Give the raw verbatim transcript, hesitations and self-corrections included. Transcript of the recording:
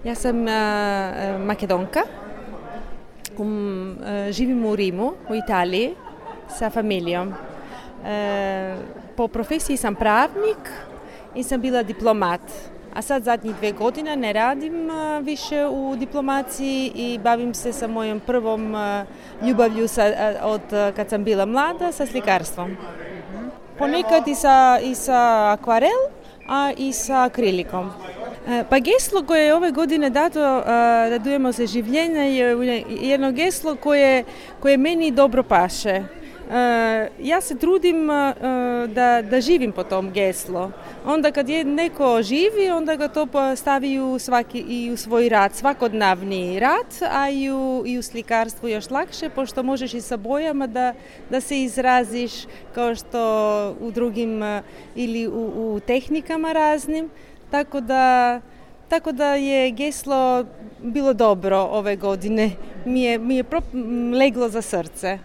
Ja sam uh, Makedonka, um, uh, živim u Rimu, u Italiji, sa familijom. Uh, po profesiji sam pravnik i sam bila diplomat, a sad zadnjih dve godine ne radim uh, više u diplomaciji i bavim se sa mojom prvom uh, ljubavlju sa, uh, od uh, kad sam bila mlada, sa slikarstvom. Ponekad i sa, i sa akvarel, a i sa akrilikom. Pa geslo koje je ove godine dato, radujemo se življenja, je jedno geslo koje, koje meni dobro paše. Ja se trudim da, da živim po tom geslu. Onda kad je neko živi, onda ga to stavi u, svaki, i u svoj rad, svakodnevni rad, a i u, i u slikarstvu još lakše, pošto možeš i sa bojama da, da se izraziš kao što u drugim ili u, u tehnikama raznim. Tako da, tako da je geslo bilo dobro ove godine, mi je, mi je leglo za srce.